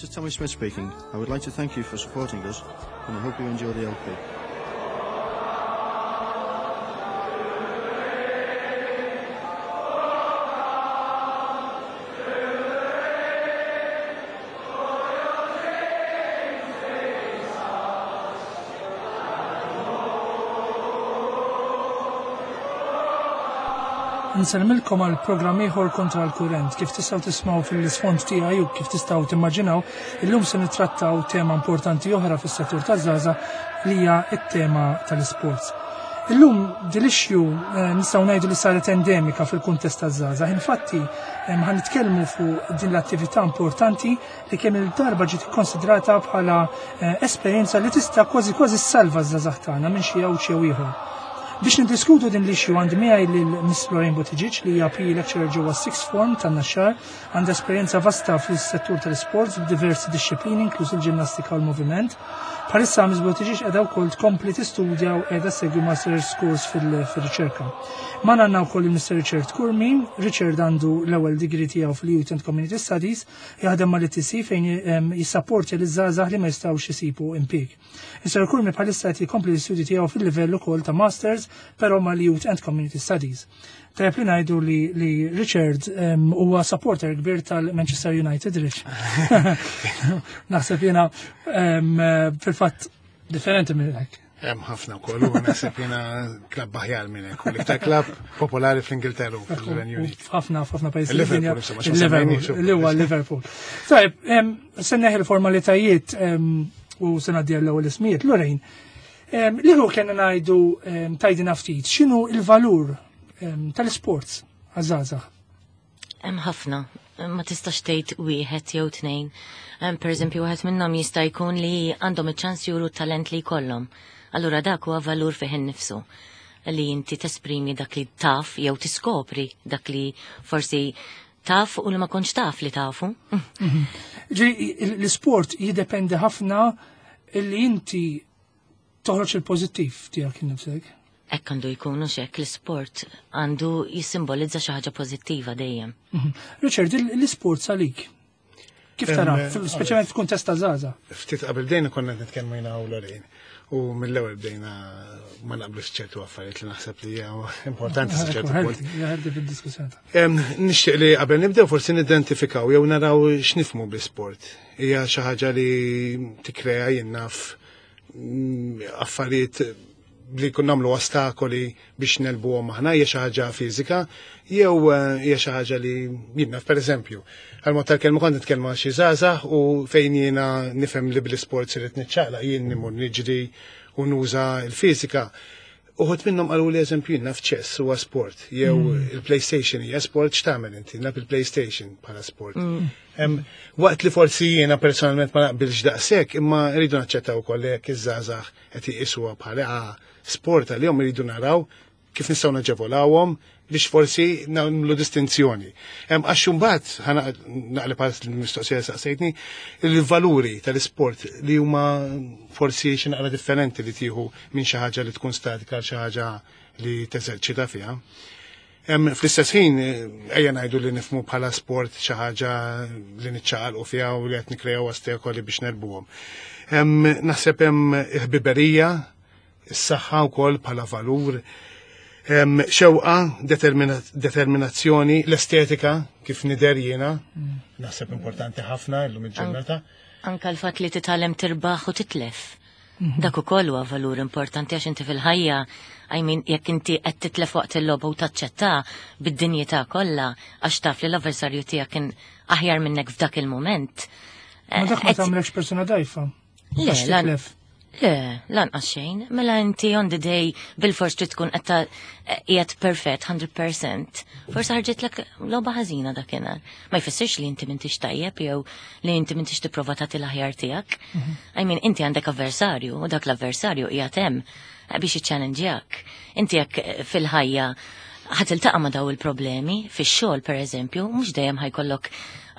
This is Tommy Smith speaking. I would like to thank you for supporting us, and I hope you enjoy the LP. Nsellmilkom għal programm ieħor kontra l-kurrent. Kif tistgħu tismgħu fil-isfond tiegħi u kif tistgħu timmaġinaw, illum se nittrattaw tema importanti oħra fis-settur taż-żgħażagħ li hija t-tema tal-isports. Illum din l-issue eh, nistgħu ngħidu li saret endemika fil-kuntest taż-żgħażagħ. Infatti, eh, ħa nitkellmu fuq din l-attività importanti li kemm il-darba ġiet ikkonsidrata bħala eh, esperjenza li tista' kważi kważi ssalva ż-żgħażagħ tagħna minn xi għawġ jew ieħor. Biex niddiskutu din l-issue għandi miegħi lil Miss Lorraine Buttigieg li hija PE lecturer ġewwa Sixth Form tan-Naxxar, għandha esperjenza vasta fis-settur tal-isports b'diversi dixxiplini inkluż il-ġinnastika u l-moviment. Bħalissa Miss Buttigieg qiegħda wkoll tkompli tistudja u qiegħda segwi master's course fil-riċerka. Magħna għandna wkoll il-Mr. Richard Curmi. Richard għandu l-ewwel degree tiegħu fil-Youth and Community Studies Jaħdem mal-ITC fejn ehm, jissapporti li żgħażagħ li ma jistgħux isibu impjieg. Is-Sir Kurmi bħalissa qed jkompli l-istudji tiegħu fil-livell ukoll ta' Masters però mal-Youth and Community Studies. Tajjeb li ngħidu li, li Richard ehm, huwa supporter kbir tal-Manchester United, Rich. Naħseb jiena ehm, fil-fatt differenti minn hekk. Hemm ħafna wkoll u naħseb jiena klabb aħjar minn hekk. L-iktar klabb popolari fl-Ingilterra u fil-Renju Unit. Ħafna f'ħafna pajjiżi. Liverpool, Liverpool, li huwa Liverpool. Tajb, se neħi l-formalitajiet u se ngħaddi l-ewwel ismijiet. Lorraine, li hu kellna ngħidu tajdina ftit, x'inhu il-valur tal-isports għaż-żgħażagħ? Hemm ħafna, ma tistax tgħid wieħed jew tnejn. Per eżempju, wieħed minnhom jista' jkun li għandhom iċ-ċans juru talent li jkollhom. Allura dak huwa valur fih innifsu li inti tesprimi dak li taf jew tiskopri dak li forsi taf u li ma kontx taf li tafu. Mhm. Ġi, l-isport jiddependi ħafna li inti toħroġ il-pożittiv tiegħek innifsek. Hekk għandu jkun hux hekk l-isport għandu jissimbolizza xi ħaġa pożittiva dejjem. Mhm. Richard, l-isport salik. Kif tara, speċjalment f'kuntest ta' żgħażagħ? Ftit qabel bdejna konna qed nitkellmu jiena u Lorraine. U mill-ewwel bdejna ma naqblux ċertu affarijiet li naħseb li hija importanti sa ċertu punt. Nixtieq li qabel nibdew forsi nidentifikaw jew naraw x'nifmu bl-isport. Hija xi ħaġa li tikkrea jien naf mm, affarijiet li kun namlu ostakoli biex nelbuhom aħna hija xi ħaġa fiżika jew eh, hija xi ħaġa li jiena pereżempju. Għal-mod tal-kelma kont nitkellma xi żgħażagħ u fejn jiena nifhem li bl-isport irid niċċaqlaq jien nimur niġri u nuża l-fiżika. Uħud minnhom qalu li eżempju jien naf ċess huwa sport, jew mm. il-PlayStation hija sport x'tagħmel inti, naf il-PlayStation bħala sport. Mm. Waqt li forsi jiena personalment ma naqbilx daqshekk, imma rridu naċċettaw ukoll jekk iż-żgħażagħ qed iqisuha bħala ah, sport għalihom iridu naraw kif nistgħu naġevolawhom biex forsi nagħmlu distinzjoni. Għax imbagħad naqleb għal l-mistoqsija saqsejtni, il-valuri tal-isport li huma forsi xi naqra differenti li tieħu minn xi ħaġa li tkun statika għal xi ħaġa li teżerċita fiha. Fl-istess ħin, ejja ngħidu li nifmu bħala sport xi ħaġa li niċċaqalqu fiha u li qed nikkreaw ostakoli biex nerbuhom. Naħseb hemm ħbiberija is-saħħa wkoll bħala valur, xewqa, determinazzjoni, l-estetika kif nider jiena, mm. naħseb importanti ħafna illum il-ġurnata. Anka l-fatt li titgħallem tirbaħ u titlef. Mhm. Dak ukoll huwa valur importanti għax inti fil-ħajja, I mean, jekk inti qed titlef waqt il-logħba u taċċetta bid-dinjità kollha għax taf li l-avversarju tiegħek kien aħjar minnek f'dak il-mument. Ma dak ma tagħmlekx persuna dajfa. Le, titlef. Le, lanqas xejn. Mela inti on the day bil-fors trid tkun qed qiegħed perfett 100%. Forsi ħarġitlek logħba ħażina dakinhar. Ma jfissirx li inti m'intix tajjeb jew li inti m'intix tipprova tagħti l-aħjar tiegħek. Mhm. I mean, inti għandek avversarju u dak l-avversarju qiegħed hemm biex iċċalenġjak. Inti jekk fil-ħajja ħa tiltaqa' ma' daw il-problemi, fix-xogħol pereżempju, mhux dejjem ħajkollok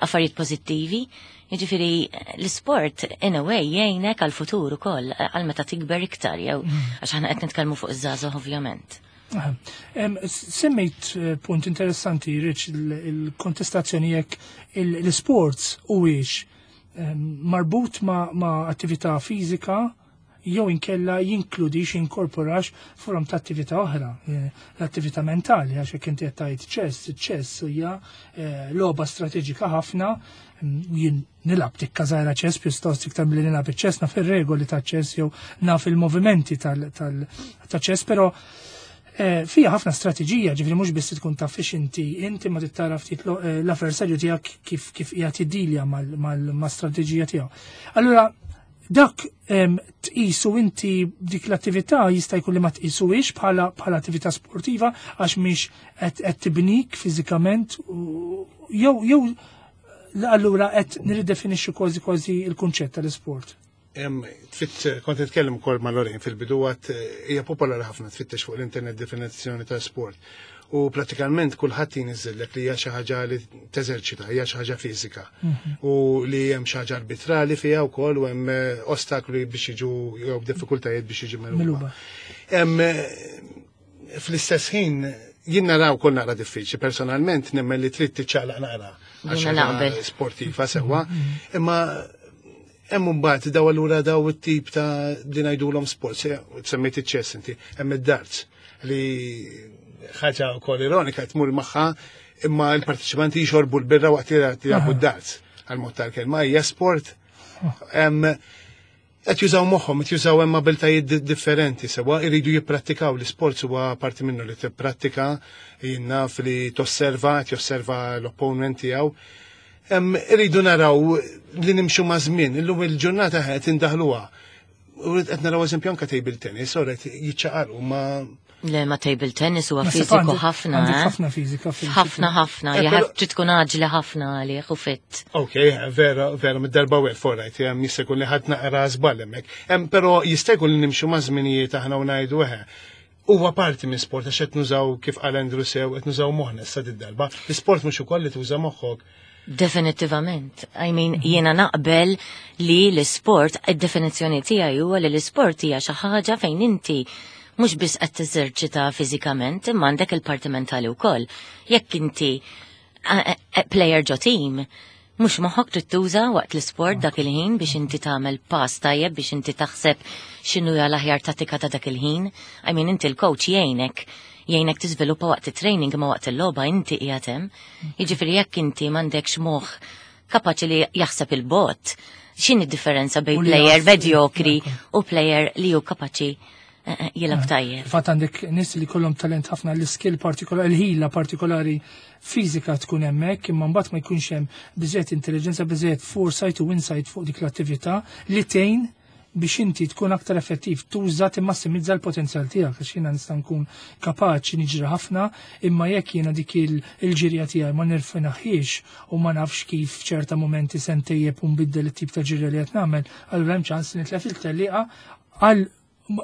affarijiet pożittivi, Jiġifieri l-isport in a way jgħinek għal-futur ukoll għal meta tikber iktar jew mm. għax aħna qed nitkellmu fuq iż-żgħażagħ ovvjament. Semmejt eh, punt interessanti, Rich, il-kontestazzjoni jekk l-sports huwiex marbut ma' attività fiżika jew inkella jinkludix, jinkorporax forom ta' attività oħra, l-attività mentali, għax jekk inti qed tgħid chess, chess hija logħba strateġika ħafna, jien nilgħab tikka żgħira chess pjuttost iktar milli nilgħab iċ-chess, naf ir-regoli ta' chess jew naf il-movimenti ta' chess, però fija ħafna strateġija, ġifieri mhux biss tkun taf fiex inti ma tittara ftit l-avversarju tiegħek kif qiegħed jiddilja ma' strateġija tiegħu. Allura dak tqisu inti dik l-attività jista' jkun li ma tqisuhiex bħala attività sportiva għax mhix qed tibnik fiżikament jew allura qed nirridefinixxu kważi kważi il-kunċett tal-isport. Tfitt, kont nitkellem ukoll ma' Lorraine fil-bidu għat hija popolari ħafna tfittex fuq l-internet definizzjoni ta' sport. U pratikament kulħadd jiniżżellek li hija xi ħaġa li teżerċita, hija xi ħaġa fiżika. U li hemm xi ħaġa arbitrali fiha wkoll u hemm ostakoli biex jiġu jew diffikultajiet biex jiġu megħluba. Fl-istess ħin jien naraw kol naqra diffiċli, personalment nemmen li trid tiċċaqlaq naqra. Jiena naqbel. Sportiva sewwa, imma hemm imbagħad daw allura daw it-tip ta' li ngħidulhom sport, semmejt iċ-chess inti, hemm id-darts li ħaġa wkoll ironika tmur magħha imma l-partiċipanti jxorbu l-birra waqt li jilagħbu d-darts għal-mod tal-kelma hija sport. Qed jużaw moħħhom, qed jużaw hemm abiltajiet differenti sewwa jridu jipprattikaw l-isport huwa parti minnu li tipprattika, jien naf li tosserva, qed josserva l-opponent tiegħu. Irridu naraw li nimxu ma' żmien, illum il-ġurnata qed indaħluha. U qed naraw eżempju anke table tennis, ora qed jiċċaqalqu ma' Le, ma table tennis huwa Ma fiżiku ħafna, għandek eh? ħafna fiżika fil- Ħafna, ħafna, jaħab trid tkun aġli ħafna għalih u fit. Ok, vera, vera, mid-darba well for right, jem jista' jkun li ħadd naqra żball hemmhekk. Però jista' jkun li nimxu ma' żminijiet aħna u ngħidu eħe. Huwa parti minn sport għax qed nużaw kif qal Andrew sew, qed nużaw moħħna issa did-darba. L-isport mhux ukoll li tuża moħħok. Definitivament. I mean, jiena naqbel li l-sport, id-definizzjoni tiegħi huwa li l-isport hija xi ħaġa fejn inti mhux biss qed teżerċita fiżikament, imma għandek il-parti mentali wkoll. Jekk inti player ġo team, mhux moħħok trid tuża waqt l-isport dak il-ħin biex inti tagħmel pass tajjeb biex inti taħseb x'inhu hija l-aħjar tattika ta' dak il-ħin. I mean, inti l-coach jgħinek tiżviluppa waqt it-training imma waqt il-logħba inti qiegħed hemm. Jiġifieri jekk inti m'għandekx moħħ kapaċi li jaħseb il-bot, x'inhi d-differenza bejn U li player jaf- medjokri u player li hu kapaċi jilgħab tajjeb. Fatt għandek nies li kollhom talent ħafna l-skill partikolari, il-ħila partikolari fiżika tkun hemmhekk, imma mbagħad ma jkunx hemm biżejjed intelligenza, biżejjed foresight u insight fuq dik l-attività li tgħin biex inti tkun aktar effettiv, tuża timmassimizza l-potenzjal tiegħek, għax jiena nista' nkun kapaċi niġri ħafna, imma jekk jiena dik il-ġirja tiegħi ma nirfinaħiex u ma nafx kif f'ċerta momenti se ntejjeb u nbiddel it-tip ta' ġirja li qed nagħmel, allura hemm ċans li nitlef il-tellieqa għal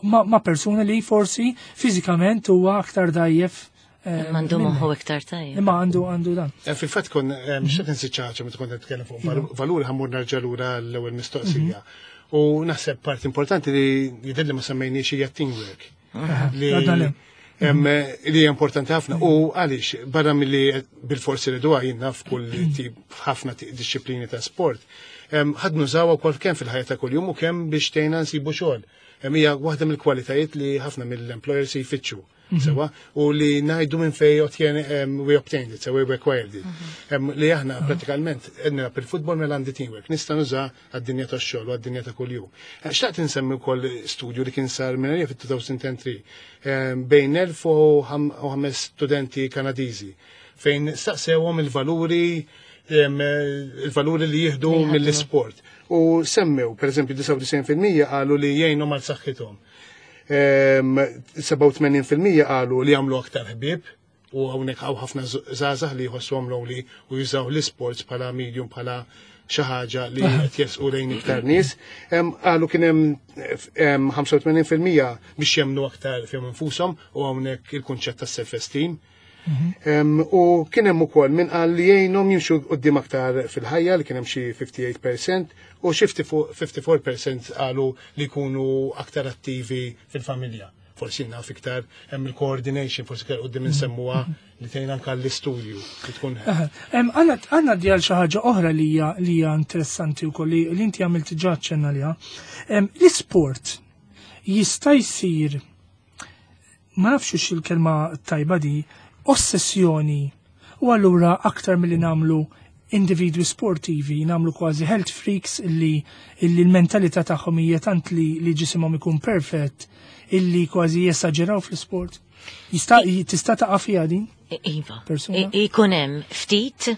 ma' persuna li forsi fiżikament huwa aktar dajjef. Imma għandu minni. moħħu iktar tajjeb. Imma għandu dan. Fil-fatt kon, x'qed insi ċaċa meta kont nitkellem fuq valuri ħammur nerġa' lura l-ewwel mistoqsija. U naħseb part importanti li jidher li ma semmejniex hija teamwork. Li Għadna le. Li hija importanti ħafna. U għaliex barra milli bil-forsi li dwa jien naf kull tip ħafna disċiplini ta' sport. Ħadd nużawha wkoll kemm fil-ħajja ta' kuljum u kemm biex tgħinna nsibu xogħol. Hija waħda mill-kwalitajiet li ħafna mill-employers jfittxu. Sewa, u li ngħidu minn fej we obtained it, sewa we acquired it. Li aħna pratikalment għedna fil-futbol mela għandi teamwork, nista' nuża għad-dinja tax-xogħol u għad-dinja ta' kuljum. Xtaqt insemmi wkoll studju li kien sar minn għalija fit-2003, bejn elf u ħames studenti Kanadiżi fejn staqsewhom il-valuri li jieħdu Li jieħdu. mill-isport. U semmew, per eżempju, 99% qalu li jgħinhom għal saħħithom. 87% qalu li jagħmlu aktar ħbieb u hawnhekk hawn ħafna żgħażagħ li jħossuhom lonely u jużaw l-isports bħala medium, bħala xi ħaġa li qed jesqu lejn iktar nies. Qalu kien hemm 85% biex jemmnu aktar fihom infushom u hawnhekk il-kunċett tas self-esteem. U kien hemm ukoll min qal li jgħinhom jimxu quddiem aktar fil-ħajja li kien hemm xi 58% u xi 54% qalu li jkunu aktar attivi fil-familja. Forsi naf iktar hemm il-coordination, forsi iktar qudiem insemmuha li tgħin anke l-istudju li tkun. Għandna djal xi ħaġa oħra li hija li hija interessanti wkoll li inti għamilt ġa ċenna liha. L-isport jista' jsir, ma nafx hux il-kelma tajba di, ossessjoni, u allura aktar milli nagħmlu individwi sportivi, nagħmlu kważi health freaks illi l-mentalità tagħhom hija tant li ġisimhom ikun perfett illi kważi jesaġeraw fl-isport. Tista' taqa' fiha din? Iva. Persuna? Ikun hemm ftit,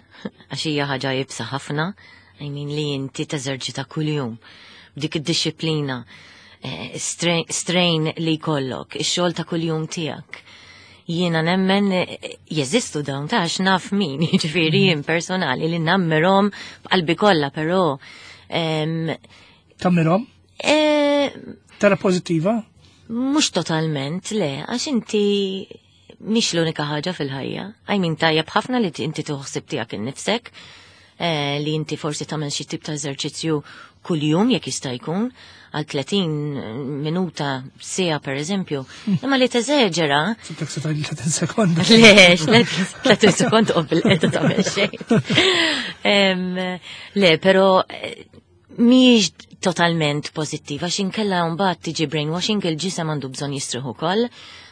għax hija ħaġa iebsa ħafna, I mean li inti teżerċita kuljum b'dik id-disciplina, strain li jkollok, ix-xogħol ta' kuljum tiegħek. Jiena nemmen jeżistu dawn ta' għax naf min, jiġifieri jien personali li nammirhom b'qalbi kollha, però, Tammirhom? Tara pożittiva? Mhux totalment, le, għax inti mhix l-unika ħaġa fil-ħajja. I mean, tajjeb ħafna li inti tuħsib tiegħek innifsek, li inti forsi tagħmel xi tip ta' eżerċizzju kuljum jekk jista' jkun, għal 30 minuta siegħa per eżempju. Imma li teżeġera. Sibtek se tgħid 30 sekonda. Le, 30 sekonda u bil-qeda tagħmel xejn. Le, però mhijiex totalment pożittiva, għax inkella mbagħad tiġi brainwashing, il-ġisem għandu bżonn jistrieħu ukoll,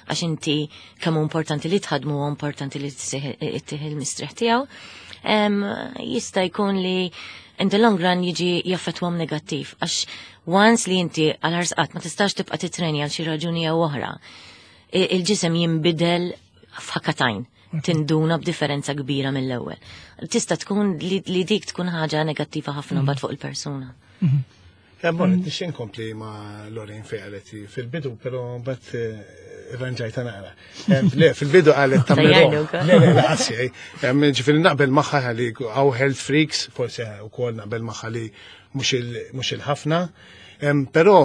għax inti kemm hu importanti li tħadmu u importanti li ittieħ il-mistrieħ tiegħu. Jista' jkun li in the long run jiġi jaffettwahom negattiv, għax once li inti għal ħarsqat ma tistax tibqa' titreni għal xi raġuni jew oħra, il-ġisem jinbidel f'ħakatajn, tinduna b'differenza kbira mill-ewwel. Tista' tkun li dik tkun ħaġa negattiva ħafna mbagħad fuq il-persuna. Bon, nixtieq inkompli ma' Lorraine fejn qalet fil-bidu, però mbagħad irranġajta naqra. Le, fil-bidu qalet ta' Tajjarni Miro. wkoll. Le, le, le, qassi, Ġifieri naqbel magħha li hawn health freaks, forsi wkoll naqbel magħha li mhux il-ħafna. Però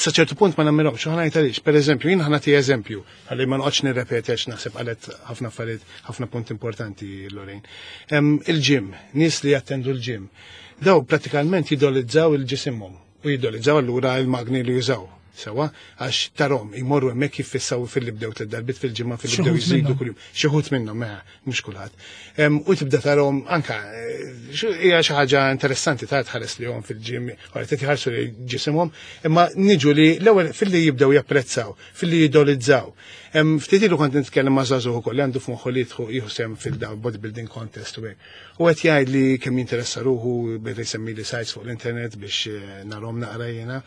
sa ċertu punt ma nammirhomx, u ħanajt għaliex. Per eżempju, jien ħanati eżempju, ħalli ma noqgħodx nirrepeti għax naħseb qalet ħafna affarijiet, ħafna punt importanti Lorraine. Il-gym, nies li jattendu l-gym, daw pratikalment jidolizzaw il-ġisimhom u jidolizzaw allura il-magni li jużaw. Sewa, għax tarom imorru hemmhekk jiffissaw fil-li bdew tliet darbit fil-ġimgħa fil-li Xi bdew wħud jżidu minnhom. kuljum. Xi wħud minnhom, mela, mhux kulħadd. U tibda tarom anka hija xi ħaġa interessanti ta' tħares li hom fil-ġim, wara qed jħarsu li ġisimhom, imma niġu li l-ewwel fil-li jibdew japprezzaw, fil-li jidolizzaw. Ftit ilu kont nitkellem ma' żagħżugħ ukoll li għandu f'moħħu li jieħu sehem fil-daw bodybuilding contest u hekk. U qed jgħid li kemm jinteressa ruħu beda jsemmi li sites fuq l-internet biex narhom naqra jiena.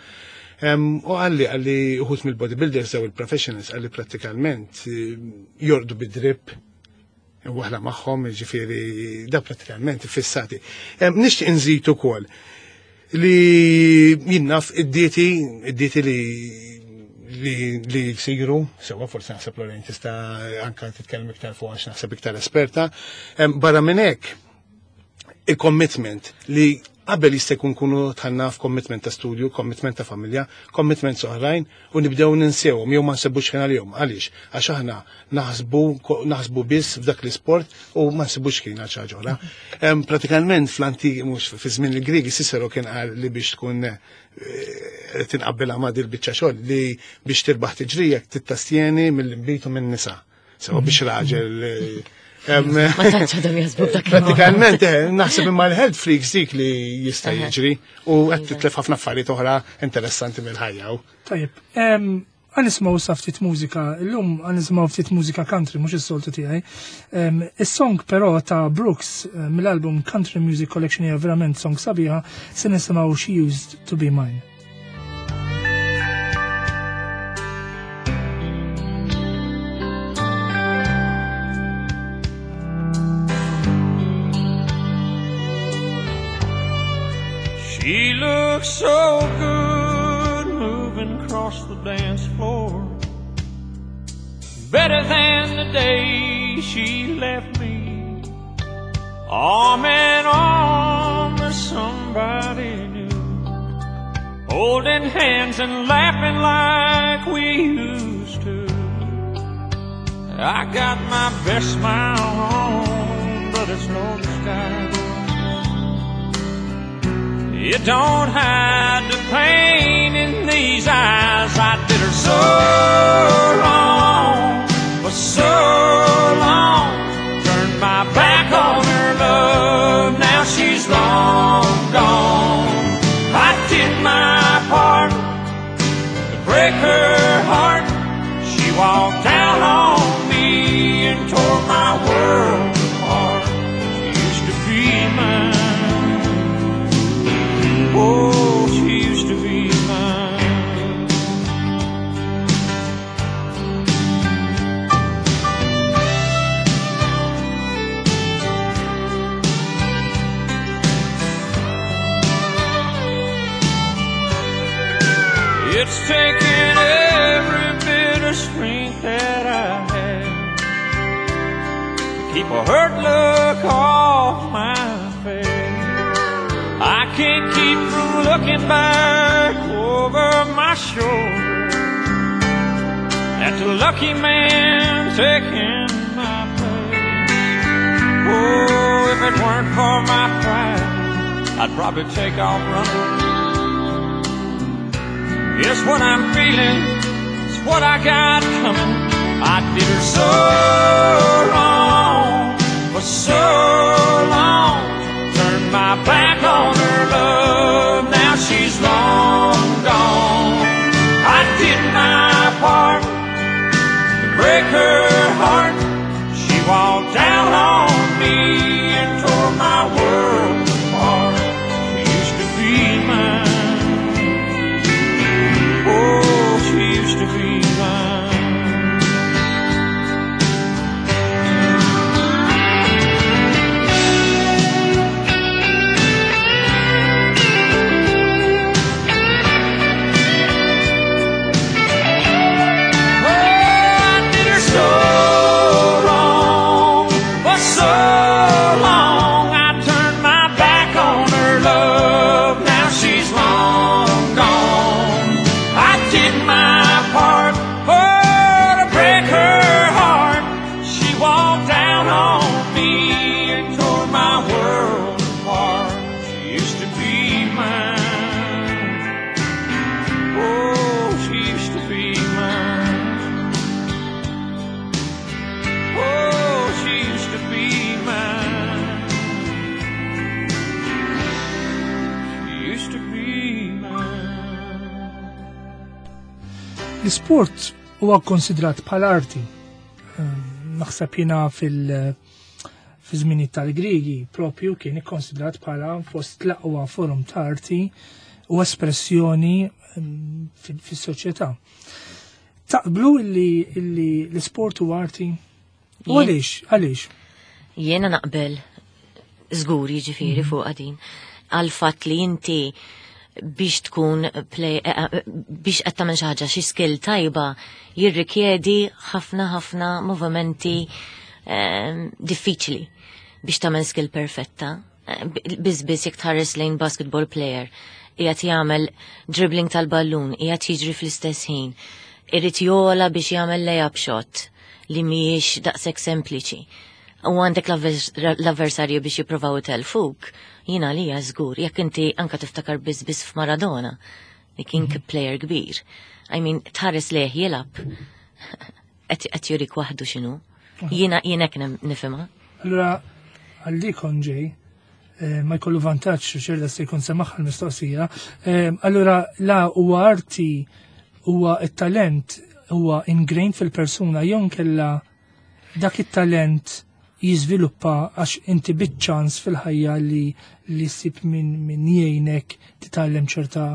U għalli uħut mill-bodybuilders daw il-professionals għalli prattikalment jordu bid-drip waħla magħhom, ġifieri da prattikalment fissati. Nixtieq inżid ukoll li jinnaf id-dieti li jsiru, sewa forsi naħseb Lorraine tista' anka titkellem iktar fuq għax naħseb iktar esperta. Barra minn hekk, il-commitment li qabel jista' jkun kunu tħanna f'commitment ta' studju, commitment ta' familja, commitment oħrajn u nibdew ninsewhom jew ma nsebux ħin għalihom. Għaliex? Għax aħna naħsbu biss f'dak l-isport u ma nsibux ħin għal xi ħaġa oħra. Pratikalment fl-antik, mhux fi żmien il-Griegi, Cicero kien qal li biex tkun tinqabbel ma' dil biċċa xogħol li biex tirbaħ tiġrija tittastjeni mill-inbid u min-nisa. Sewa biex raġel Ma tantx għadhom jaħsbu b'dak il-mod. Pratikalment, naħseb imma l-health freaks dik li jista' jiġri u qed titlef ħafna affarijiet oħra interessanti mill-ħajja. Tajjeb, għan nismaw sa ftit mużika, illum għan nismaw ftit mużika country, mhux is-soltu tiegħi. Is-song però ta' Brooks mill-album Country Music Collection hija verament song sabiħa, se nisimgħu She Used to Be Mine. She looks so good moving across the dance floor, better than the day she left me, arm in arm with somebody new, holding hands and laughing like we used to. I got my best smile on, but it's no disguise. It don't hide the pain in these eyes. I did her so wrong for so long. Turned my back on her love. Now she's long gone. I did my part to break her heart. She walked out on me and tore my world apart. She used to be mine. Oh, she used to be mine. It's taken every bit of strength that I have to keep a hurt look off my face. I can't keep from looking back over my shoulder at the lucky man taking my place. Oh, if it weren't for my pride, I'd probably take off running. It's what I'm feeling, it's what I got coming. I did her so wrong for so long. Turned my back on her love, now she's long gone. I did my part to break her heart. She walked out on me and tore my world apart. She used to be mine. Oh, she used to be mine. Oh, I did her so wrong for so long. I turned my back on her love. Now she's long gone. I did my part, oh, to break her heart. She walked out on me and tore my world apart. She used to be mine. Oh, she used to be mine. Oh, she used to be mine. She used to be mine. L-isport huwa konsidrat bħala arti. Naħseb jiena fi żmini tal-Griegi propju kien ikkonsidrat bħala fost l-aqwa forum ta' arti u espressjoni fis-soċjetà. Taqblu illi l-isport huwa arti? U għaliex? Għaliex? Jiena naqbel żgur jiġifieri fuq din għal fatt li inti biex tkun play, biex qed tagħmel xi ħaġa xi skill tajba jirrikjedi ħafna ħafna movimenti diffiċli biex tagħmel skill perfetta. Biss biss jekk tħares lejn basketball player qiegħed jagħmel dribbling tal-ballun, qiegħed jiġri fl-istess ħin, irid jola biex jagħmel layup shot li mhijiex daqshekk sempliċi. U għandek l-avversarju biex jippruvaw itelfuk, jiena li żgur, jekk inti anka tiftakar biss biss f'Maradona, li kien player kbir. I mean, tħares lejh jilgħab, qed jurik waħdu x'inhu. Jiena hekk nifhimha. Allura, għalli ġej, ma jkollu vantaġġ xerda se jkun semaħ l-mistoqsija. Allura, la huwa arti, huwa it-talent, huwa ingrained fil-persuna, jew kella dak it-talent jiżviluppa għax inti biċ-ċans fil-ħajja li ssib min jgħinek titgħallem ċerta.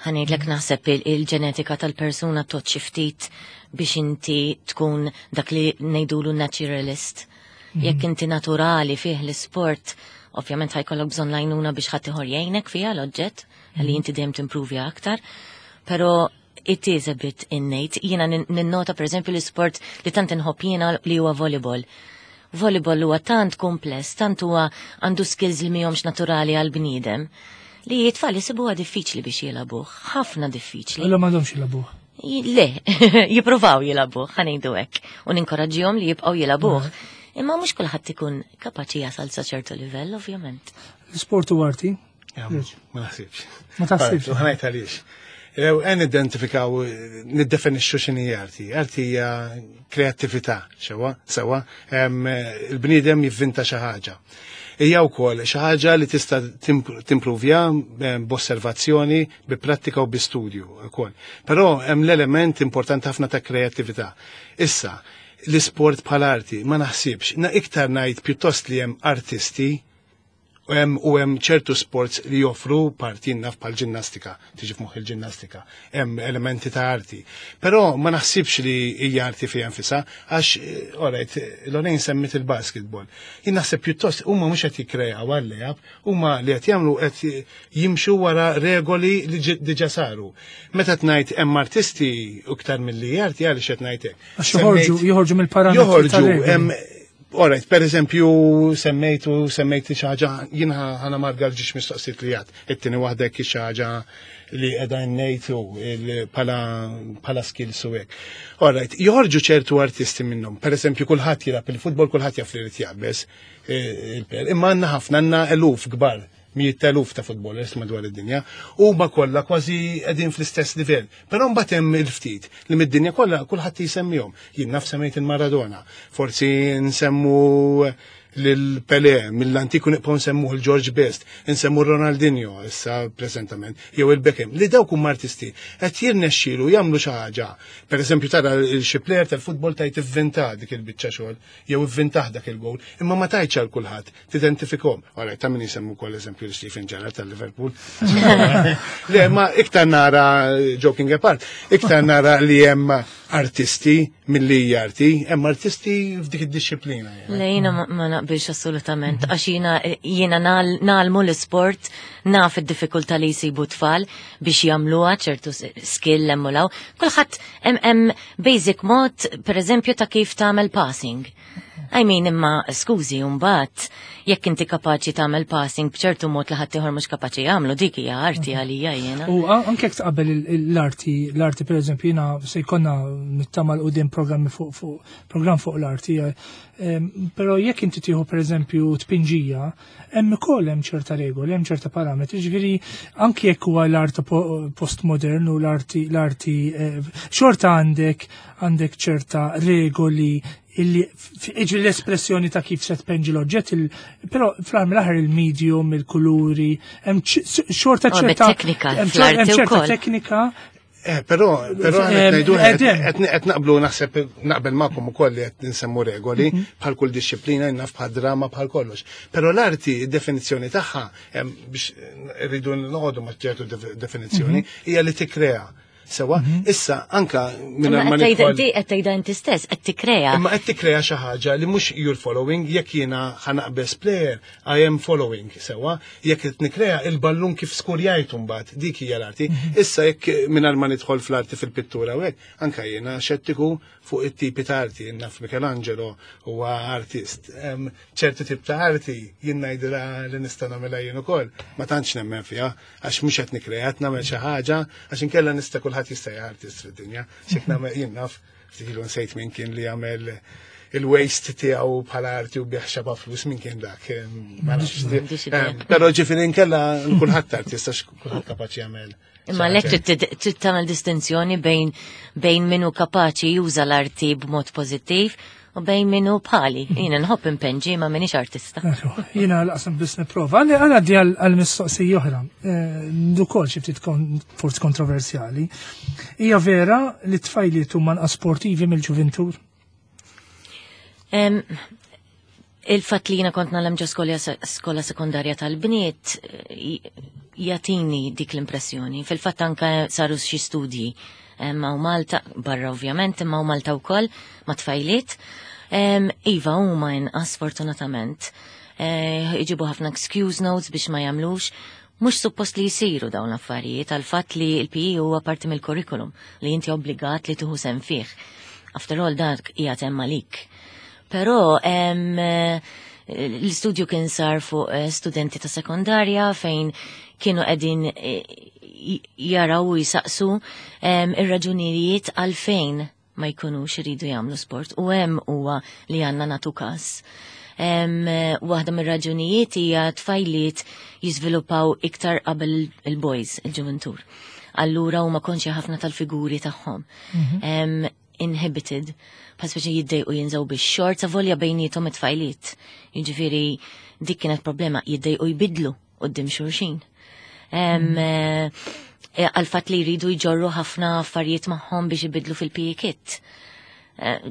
Ħa ngħidlek naħseb il-ġenetika tal-persuna tot xi ftit biex inti tkun dak li ngħidulu naturalist. Jekk inti naturali fih l-isport, ovvjament ħa jkollok bżonn l-għajnuna biex ħadd ieħor jgħinek fiha l-oġġett, li inti dejjem timprovja aktar, però it is a bit innate. Jiena ninnota per eżempju l-isport li tant inħobb jiena li huwa volleyball. Volleyball huwa tant kompless, tant huwa għandu skills li mihomx naturali għal bniedem, li t-tfal jisibuha diffiċli biex jilagħbuh, ħafna diffiċli. Allura m'għandhomx jilagħbuh. Le, jippruvaw jilagħbuh, ħa ngħidu hekk, u ninkoraġġihom li jibqgħu jilagħbuh. Imma mhux kulħadd ikun kapaċi jasal sa ċertu livell, ovvjament. L-isport u arti? Ma naħsibx. Ma taħsibx. Ħa ngħid għaliex. Għen identifikaw, niddefinixxu x'inhi arti. Arti hija kreattività, sewa, sewa, il-bniedem jivvinta xi ħaġa. Hija wkoll xi ħaġa li tista' timpruvja b'osservazzjoni, bi prattika u bi studju wkoll. Però hemm l-element importanti ħafna ta' kreattività. Issa, l-isport bħala arti ma naħsibx, na iktar ngħid pjuttost li hemm artisti u hemm ċertu sports li joffru parti naf bħal ġinnastika, tiġi f'moħħ il-ġinnastika, hemm elementi ta' arti. Però ma naħsibx li hija arti fiha nfisha għax alright, Lorraine semmit il-basketball. Jien naħseb pjuttost huma mhux qed jikkreaw għal-layup, huma li qed jagħmlu qed jimxu wara regoli li diġà saru. Meta tgħid hemm artisti iktar milli arti għaliex qed ngħid hekk. Għax joħorġu mill-parametri. Joħorġu, Alright, per eżempju, semmejtu xi ħaġa, jien ħana marga l-ġiex mistoqsijiet li għad, it-tieni waħda xi ħaġa li qiegħda ngħidu bħala skills u hekk. Alright, joħorġu ċertu artisti minnhom. Per eżempju, kulħadd jilgħab il-futbol, kulħadd jaf li jrid jaqbeż il-per. Imma għandna ħafna, għandna eluf kbar, mijiet eluf ta' futbolers madwar id-dinja, u ma kollha kważi qegħdin fl-istess livell. Però mbagħad hemm il-ftit li mid-dinja kollha kulħadd jisemmihom. Jien naf semmejt il-Maradona, forsi nsemmu lil Pelé, mill-antiku nibqgħu nsemmuh il-George Best, nsemmu Ronaldinho issa preżentament, jew il-Beckham, li dawk huma artisti qed jirnexxielu jagħmlu xi ħaġa. Per eżempju tara xi player tal-futbol tajt ivvinta dik il-biċċa xogħol, jew ivvintah dak il-gowl, imma ma tajtx għal kulħadd, tidentifikhom. Ora, ta' min jisemmu wkoll eżempju li Steven Gerrard tal-Liverpool. Le, ma iktar nara, joking apart, iktar nara li hemm artisti milli arti, hemm artisti f'dik id-disciplina. Le, jiena ma naqbilx assolutament, għax jiena nagħmlu l-sport, naf id-diffikultà li jsibu tfal biex jagħmluha ċertu skill emmulaw. Kulħadd hemm basic mod, per eżempju, ta' kif tagħmel passing. I mean, imma, skużi, mbagħad, jekk inti kapaċi tagħmel passing b'ċertu mod li ħadd ieħor mhux kapaċi jagħmlu, dik hija arti għalija jiena. U anke jekk tqabbel l-arti, l-arti per eżempju jiena se jkollna nittama 'l quddiem programmi fuq programm fuq l-arti, però jekk inti tieħu per eżempju tpinġija, hemm ukoll hemm ċerta regoli, hemm ċerta parametri, ġifieri anke jekk huwa l-art postmodern u l-arti xorta għandek ċerta regoli illi iġri l-espressjoni ta' kif se tpenġi l-oġġett, però fl-aħħar mill-aħħar il-medium, il-kuluri, hemm xorta Oh, ċerta teknika, hemm fl-arti hemm ċerta wkoll. teknika. Però, però qed ngħidu, Edem. qed naqblu naħseb naqbel magħkom ukoll li qed nsemmu regoli bħal kull disċiplina, naf bħal drama, bħal kollox. Però l-arti, id-definizzjoni tagħha, biex rridu noqogħdu ma' ċertu definizzjoni, hija li tikkrea. Sewa, issa anka minn Imma ma qed tgħidha nidħol di qed tgħidha inti stess, qed tikkrea. Imma qed tikkrea xi ħaġa li mhux you're following, jekk jiena ħa naqbeż player, I am following, sewa, jekk qed nikkrea il-ballun kif skurjajtu mbagħad, dik hija l-arti. Issa jekk mingħajr ma nidħol fl-arti fil-pittura u hekk, anka jiena xettiku fuq it-tipi ta' arti, naf Michelangelo huwa artist. Ċertu tip ta' arti jien ngħidilha li nista' nagħmilha jien ukoll, ma tantx nemmen fiha, għax mhux qed nikkrea, qed nagħmel xi ħaġa, għax inkella nista' kulħadd jista' artist fid-dinja. X'jekk nagħmel jien naf, ftit ilu nsejt min kien li jagħmel il-waste tiegħu bħala arti u biegħ xaba flus, min kien dak, ma nafx. M'għandix idea. Però ġifieri inkella kulħadd artist għax kulħadd kapaċi jagħmel. Imma lek trid tagħmel distinzjoni bejn min hu kapaċi juża l-arti b'mod pożittiv u bejn min hu bħali. Jiena nħobb impenġi ma minix artista. Ekku, jiena l-qasam biss nipprova. Għalli għana di għal-mistoqsija oħra, ukoll xi ftit forsi kontroversjali. Hija vera li tfajliet huma nqas sportivi mill-ġuventur? Il-fatt li jiena kont nagħlem ġo skola sekondarja tal-bniet jatini dik l-impressjoni. Fil-fatt anka saru xi studji ma' Malta, barra ovvjament, imma u Malta wkoll ma' tfajliet. Iva, huma inqas fortunatament. Iġibu ħafna excuse notes biex ma jagħmlux. Mhux suppost li jsiru dawn l-affarijiet għal fatt li l-PE huwa parti mill-curriculum li inti obbligat li tieħu sehem fih. After all dak qiegħed hemm għalik. Però l-istudju kien sar fuq studenti ta' sekondarja fejn kienu qegħdin jaraw u jisaqsu ir-raġunijiet għalfejn. ma jkunux iridu jagħmlu sport u hemm huwa li għandna nagħtu każ. Waħda mir-raġunijiet hija tfajliet jiżviluppaw iktar qabel il-boys, il-ġuventur. Allura huma konxja ħafna tal-figuri tagħhom. Inhibited, bħal speċi jiddejqu jinżaw bix-xorts avolja bejniethom it-tfajliet. Jiġifieri dik kienet problema, jiddejqu jbidlu quddiem xulxin. Għal-fatt li jridu jġorru ħafna affarijiet magħhom biex ibidlu fil-PE kit.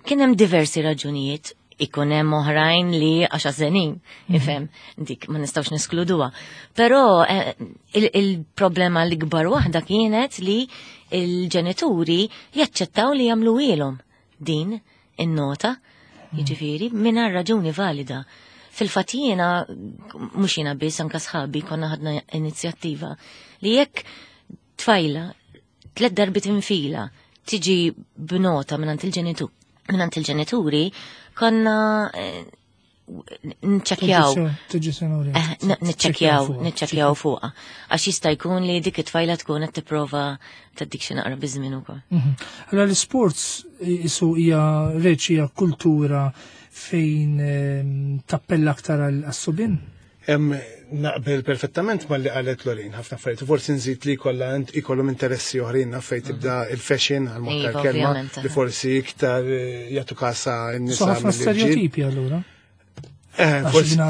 Kien hemm diversi raġunijiet, ikun hemm oħrajn li għax għażenin, ifhem, dik ma nistgħux neskluduha. Però il-problema l-ikbar waħda kienet li il-ġenituri jaċċettaw li jagħmlu ilhom din in-nota, jiġifieri mingħajr raġuni valida. Fil-fatt jiena, mhux jiena biss, anke sħabi konna ħadna inizjattiva li jekk tfajla 3 darbiet infila tiġi b'nota mingħand il-ġenitur, mingħand il-ġenituri, konna nċekkjaw. Tiġi senuri. Niċċekkjaw fuqha. Għax jista' jkun li dik it-tfajla tkun qed tipprova taddik xi naqra biż-żmien ukoll. Allora l-isports isu hija reċ hija kultura fejn tappella aktar għas-subien? Naqbel perfettament ma li qalet Lorraine, ħafna affarijiet. Forsi nżid li kollha ikollhom interessi oħrajn, naf fejn tibda il-fashion għal mod Iva, tal-kelma, ovvjament, li forsi iktar jagħtu kasa n-nisa So ħafna mill-irġiel. stereotipi allura. Għax Forsi dina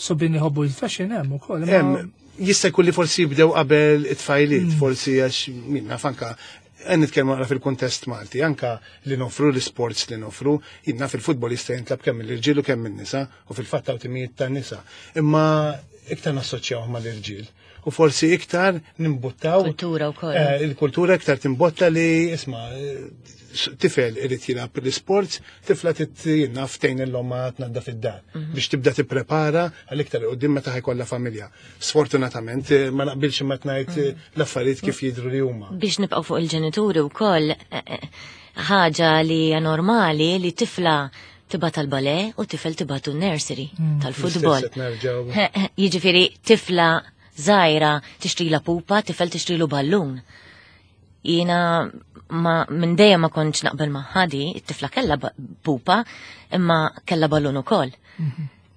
subien jħobbu il-fashion hemm ukoll, imma Hemm, jista' jkun li forsi jibdew qabel it-tfajliet, forsi għax min naf anka qed nitkellmu naqra fil-kuntest Malti, anka li nofru l-sports li nofru, jien naf il-futbol jista' jintlab kemm mill-irġiel u kemm min-nisa, u fil-fatt hawn timijiet tan-nisa. Imma iktar nassoċjaw mal-irġiel. U forsi iktar nimbuttaw Kultura wkoll. Il-kultura iktar timbotta li isma' tifel irid jilgħab l-isports, tifla trid naf tgħin l-omma tnaddaf id-dar biex tibda tipprepara għal iktar quddiem meta ħajkollha familja. Sfortunatament ma naqbilx imma tnajt l-affarijiet kif jidhru li huma. Biex nibqgħu fuq il-ġenituri wkoll, ħaġa li hija normali li tifla tibgħat tal-ballet u tifel tibgħatu nursery tal-futbol. L-istess qed nerġgħu. Jiġifieri tifla żgħira tixtrila pupa, tifel tixtrilu ballun. Jiena minn dejjem ma kontx naqbel ma' ħadi, it-tifla kellha pupa, imma kellha ballun ukoll.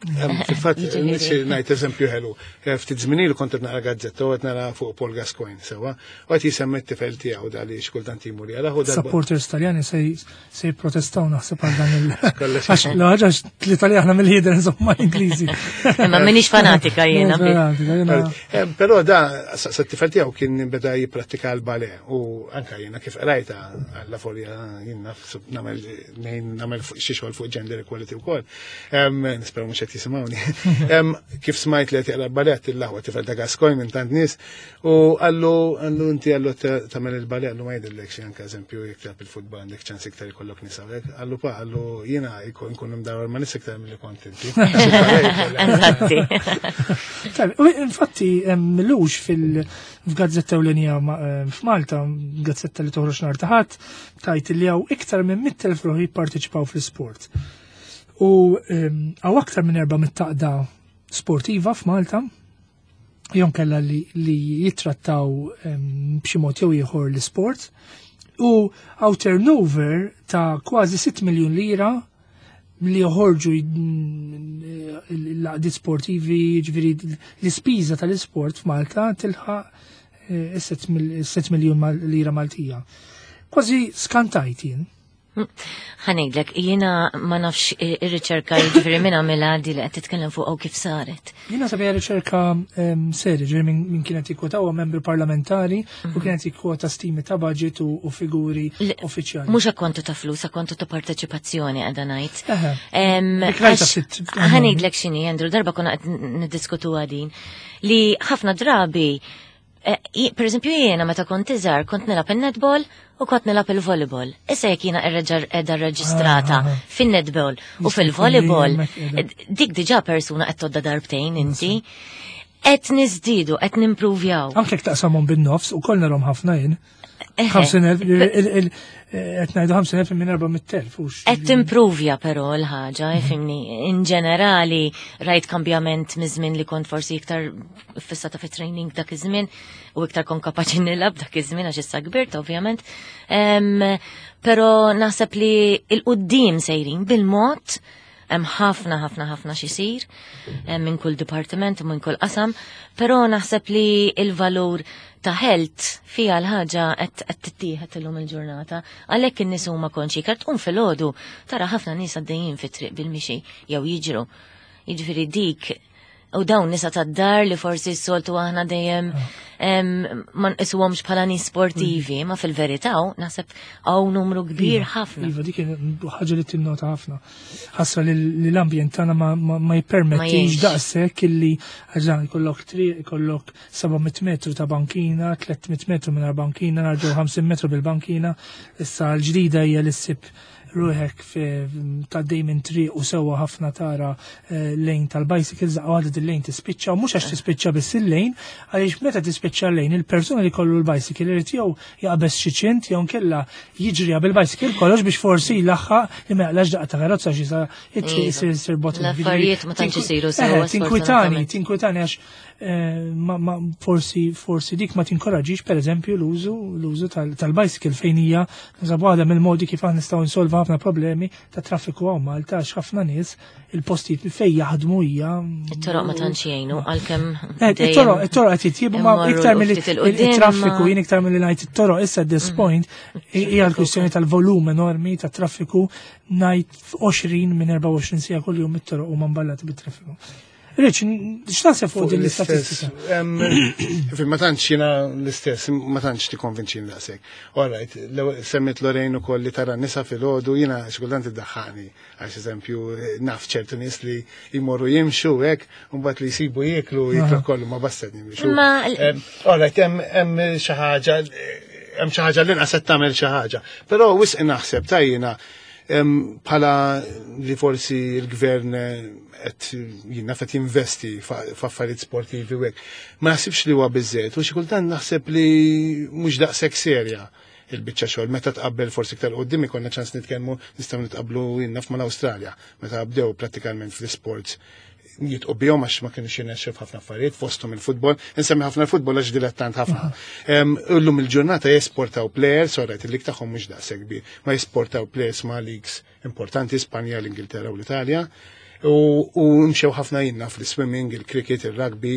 Fil-fatt, Jiġifieri. nixi ngħid eżempju ħelu. Ftit żmien ilu kont qed naqra gazzetta u qed nara fuq Paul Gascoigne sewwa, u qed jisemmi t-tifel tiegħu da li xkultant jimur jara, u darba- Supporters Taljani se jipprotestaw naħseb għal dan il- Kollox. Għax l-ħaġa għax l-Italja aħna mill-ħider insomma Ingliżi. Imma m'iniex fanatika jiena. M'iniex fanatika, jiena. Però da sa t-tifel tiegħu kien beda jipprattika l-ballet u anka jiena kif qrajta għalla folja jien naf nagħmel nejn nagħmel xi xogħol fuq gender equality wkoll. Nispera mhux qed jisimgħuni. Kif smajt li qed jaqra l-ballet il-laħwa tifel ta' Gascoigne minn tant nies u għallu inti għallu tagħmel il-ballet għallu ma jidhirlek xi anke eżempju jekk tilgħab il-futbol għandek ċans iktar ikollok nisa hekk. Għallu pa għallu jiena nkun imdawar ma' nies iktar milli kont inti. Eżatti. Tajb, u infatti, millux f'gazzetta ewlenija f'Malta, gazzetta li toħroġ nhar ta' Ħadd, tajt li hawn iktar minn 100,000 ruħ jipparteċipaw fl-isport. U hawn aktar minn erba' mit-taqda sportiva f'Malta, jew kellha li jittrattaw b'xi mod jew ieħor l-isport, u hawn turnover ta' kważi 6 miljun lira li joħorġu l-għaqdiet sportivi, ġifieri l-ispiża tal-isport f'Malta tilħaq 6 miljun lira Maltija. Kważi skantajt jien. Ħa ngħidlek, jiena ma nafx ir-riċerka jiġifieri minn għamilha di li qed titkellem fuq u kif saret. Jiena sabija riċerka serja, ġifieri minn kienet jikkwota huwa membru parlamentari u kienet jikkwota stimi ta' budget u figuri uffiċjali. Mhux akkontu ta' flus, akkontu ta' parteċipazzjoni qiegħda ngħid. Dik rajta ftit Ħa ngħidlek x'inhi, Andrew, darba konna qed niddiskutu din li ħafna drabi per eżempju jiena meta kont iżgħar kont nilgħab in-netball u kont nilgħab il-volleyball. Issa jekk jiena qiegħda rreġistrata fin-netball u Jista' jkun li fil-volleyball, hemmhekk qiegħda. dik diġà persuna qed todda darbtejn inti. Qed niżdiedu, qed nimpruvjaw. Anke jekk taqsamhom bin-nofs u kollna rom ħafna jien. 50,000, qed ngħidu 50,000 minn 400,000. Qed timpruvja però l-ħaġa, ifhimni, in ġenerali rajt kambjament miż-żmien li kont forsi iktar fissata fit training dak iż-żmien u iktar kon kapaċi nilgħab dak iż-żmien għax issa kbirt ovvjament. Però naħseb li il-qudiem sejrin bil-mod Hemm ħafna ħafna ħafna xisir minn kull dipartiment u minn kull qasam, però naħseb li il-valur ta' health fija l-ħaġa qed tittieħed illum il-ġurnata. Għalhekk in-nies huma konxi, kar tqum filgħodu tara ħafna nies għaddejjin fit-triq bil-mixi jew jiġru. Jiġifieri dik U dawn nisa tad-dar li forsi s-soltu aħna dejjem ma nqisuhomx bħala nies sportivi, ma fil-verità naħseb hawn numru kbir iva, ħafna. Iva, dik ħaġa li tinnota ħafna. Ħasra li l-ambjent tagħna ma jippermettix daqshekk illi ħaġa jkollok triq, jkollok 700 metru ta' bankina, 300 metru mingħajr bankina, narġgħu 50 metru bil-bankina, issa l-ġdida hija li ssib ruħek tgħaddej minn triq u sewwa ħafna tara eh, lejn tal-bicycles daqqa waħda il-lejn tispiċċa u mhux għax tispiċċa biss il-lejn, għaliex meta tispiċċa l-lejn il-persuna li kollu l-bicycle irid jew jaqbeż xi ċint jew nkella jiġri bil-bicycle kollox biex forsi jlaħħaq li ma jaqlax daqqa ta' karozza xi sa it-triq isir isir bot. L-affarijiet ma tantx isiru sewwa. Eh, tinkwitani, tinkwitani għax Eh, ma forsi forsi dik ma tinkoraġix pereżempju l-użu l-użu tal-bicycle fejn hija naħseb waħda mill-modi kif aħna nistgħu nsolvu ħafna problemi ta' traffiku hawn Malta għax ħafna nies il-postijiet fejn jaħdmu hija It-toroq ma tantx jgħinu għalkemm eh, it-toroq it-toroq qed jitjiebu ma iktar milli traffiku jien iktar milli ngħid it-toroq issa at this mm. point hija l-kwistjoni tal-volum enormi ta' traffiku ngħid 20 minn 24 siegħa kuljum it-toroq huma mballati bit-traffiku. Rich, x'taħseb fuq din l-istatistika? Ma tantx jiena l-istess, ma tantx tikkonvinċini daqshekk. All right, semmit Lorraine ukoll li tara nisa filgħodu jiena xi kultant iddaħħani għax eżempju naf ċertu nies li jmorru jimxu hekk u mbagħad li jsibu jieklu jieklu kollu ma basta jimxu. All right, hemm xi ħaġa hemm xi ħaġa l-inqas qed tagħmel xi ħaġa. Però wisq naħseb tajjina Bħala li forsi l-gvern eh, qed jiena qed jinvesti f'affarijiet sportivi u hekk. Ma naħsibx li huwa biżżejjed u xi kultant naħseb li mhux daqshekk serja il-biċċa xogħol meta tqabbel forsi iktar qudiem ikollna ċans nitkellmu nistgħu nitqablu naf mal-Awstralja meta bdew prattikalment fl-isports jitqu bihom għax ma kienux jirnexxu f'ħafna affarijiet fosthom il-futbol. Insemmi ħafna l-futbol għax dilettant ħafna. Illum il-ġurnata jesportaw players, orajt il-lig tagħhom mhux daqshekk kbir, ma jesportaw players ma' leagues importanti Spanja, l-Ingilterra u l-Italja. U mxew ħafna jinna fl-swimming, il-cricket, il-rugby,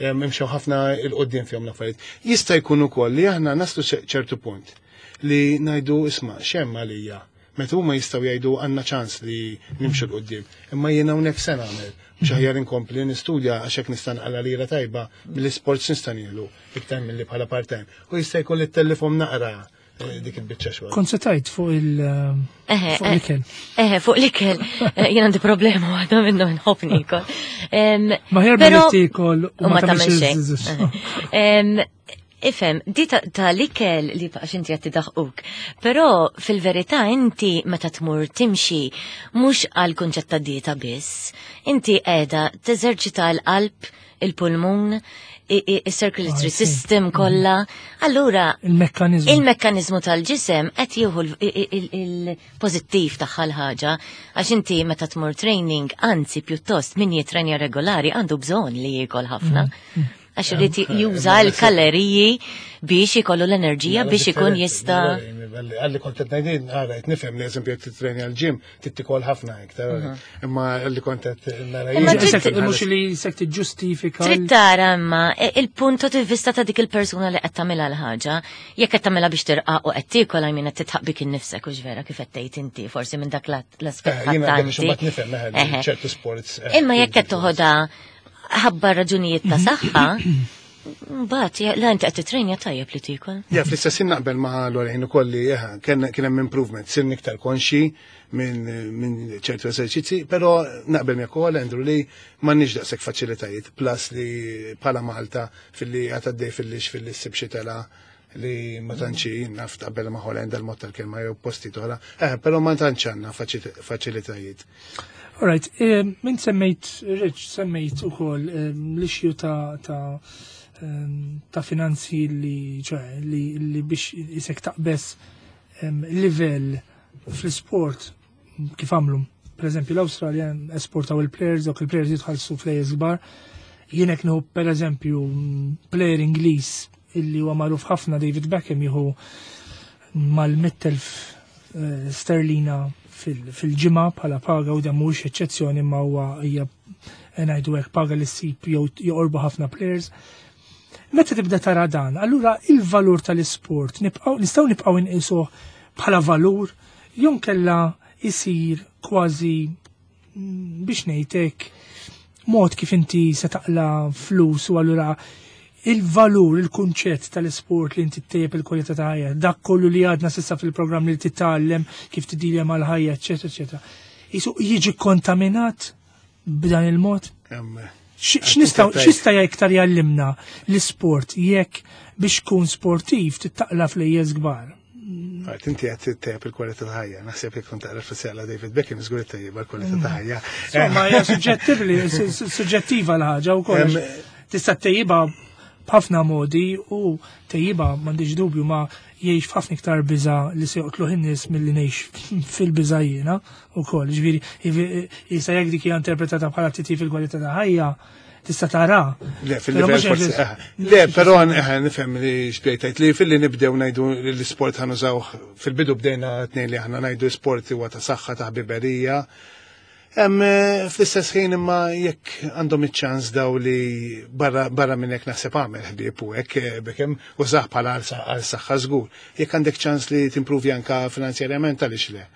mxew ħafna il-qoddim fihom l-affarijiet. Jista' jkun ukoll li aħna naslu ċertu punt li ngħidu isma' x'hemm għalija Meta huma jistgħu jgħidu għandna ċans li nimxu 'l quddiem. Imma jien hawnhekk se nagħmel. Mhux aħjar inkompli nistudja għax hekk nista' nqala' lira tajba mill-isports nista' nieħlu iktar milli bħala part-time. U jista' jkun li ttellifhom naqra eh, dik il-biċċa xogħol. Kont se tgħid fuq il- eh, fuq l-ikel. Eħe, fuq l-ikel. Eh, jien għandi problema waħda minnhom nħobb nikol. Ma ħjar billi tiekol u ma tagħmel xejn. Ifhem, di ta' l-ikel li għax inti qed tidaħquk. Però fil-verità inti meta tmur timxi mhux għal kunċett ta' dieta biss, inti qiegħda teżerċita l-qalb, il-pulmun, il-circulatory ah, system kollha. Allura il-mekkanizmu il-mekkanizmu tal-ġisem qed jieħu il-pożittiv tagħha l-ħaġa għax inti meta tmur training, anzi pjuttost min jitrenja regolari għandu bżonn li jiekol ħafna. Mm, mm. Għax irid juża l-kalleriji biex ikollu l-enerġija biex ikun jista'. Għalli kont qed ngħidin, ara qed nifhem li eżempju qed titreni għall-ġim trid tikol ħafna iktar. Mhm. Imma għalli kont qed nara Mhux li sek tiġġustifika. Trid tara imma e, il-punto di vista ta' dik il-persuna li qed tagħmilha l-ħaġa, jekk qed tagħmilha biex tirqaq u qed tiekol għajmin qed titħaq bik innifsek u vera kif qed tgħid inti forsi minn dak l-aspett. Eh, jiena nifhem eh, ċertu sports. Eh, imma jekk qed toħodha ħabba raġunijiet ta' saħħa, mbagħad la inti qed titrejnja tajjeb li tiekol. Ja, fl-istess ħin naqbel ma' Lorraine ukoll li kien hemm improvement, sirni iktar konxi minn ċertu eżerċizzi, però naqbel miegħek ukoll Andrew li m'għandniex daqshekk faċilitajiet, plus li bħala Malta filli qed għaddej fil-lix filli ssib xi tela li ma tantx naf taqbel ma' Holanda l-mod tal-kelma jew posti oħra, eh, però ma tantx għandna faċilitajiet. Alright, min semmejt, Rich, semmejt ukoll l-issue ta' ta' ta' finanzi li, ċoè, li, li biex isek taqbes livell fl-sport kif għamlu. Per eżempju, l-Awstralja esportaw il-players, dawk il-players jitħallsu flejers kbar. Jien hekk nieħu per eżempju player Ingliż illi huwa magħruf ħafna David Beckham jieħu mal-100,000 sterlina fil-ġimgħa bħala paga u dan mhuwiex eċċezzjoni imma huwa hija ngħidu hekk paga li ssib jew joqorbu ħafna players. Meta tibda tara dan, allura il-valur tal-isport nibqgħu nistgħu nibqgħu inqisuh bħala valur jew nkella isir kważi biex ngħidlek mod kif inti se taqla flus u allura il-valur, il-kunċett tal-isport li inti ttejjeb il-kwalità ta' ħajja, dak kollu li għadna s'issa fil-programm li titgħallem kif tidilja mal-ħajja, eċetera, eċetera. Isu jiġi kontaminat b'dan il-mod? X'nistgħu x'jista' iktar jgħallimna l-isport jekk biex tkun sportiv tittaqla flejjes kbar? Għart, inti għed tejjeb il-kwalità ta' ħajja, naħseb jekk kont taqra fis-sela David Beckham żgur tejjeb il-kwalità ta' ħajja. Insomma, hija suġġettibbli, suġġettiva l-ħaġa wkoll. Tista' tejjibha b'ħafna modi u tejjibha m'għandix dubju ma jgħix f'ħafna iktar biża' li se joqtluh in-nies milli ngħix fil-biża' jiena wkoll. Ġifieri, issa jekk dik hija interpretata bħala titjib fil-kwalità ta' ħajja, tista' tara. Le, fil-livell forsi. Le, però nifhem li xbejtajt li fil-li nibdew ngħidu l-isport ħa nużawh fil-bidu bdejna tnejn li aħna ngħidu sport huwa ta' saħħa ta' ħbiberija. Fl-istess ħin imma jekk għandhom iċ-ċans daw li barra minn hekk naħseb għamel ħbieb u hekk Beckham użah bħala għal saħħa żgur. Jekk għandek ċans li timpruvi anka finanzjarjament għaliex le.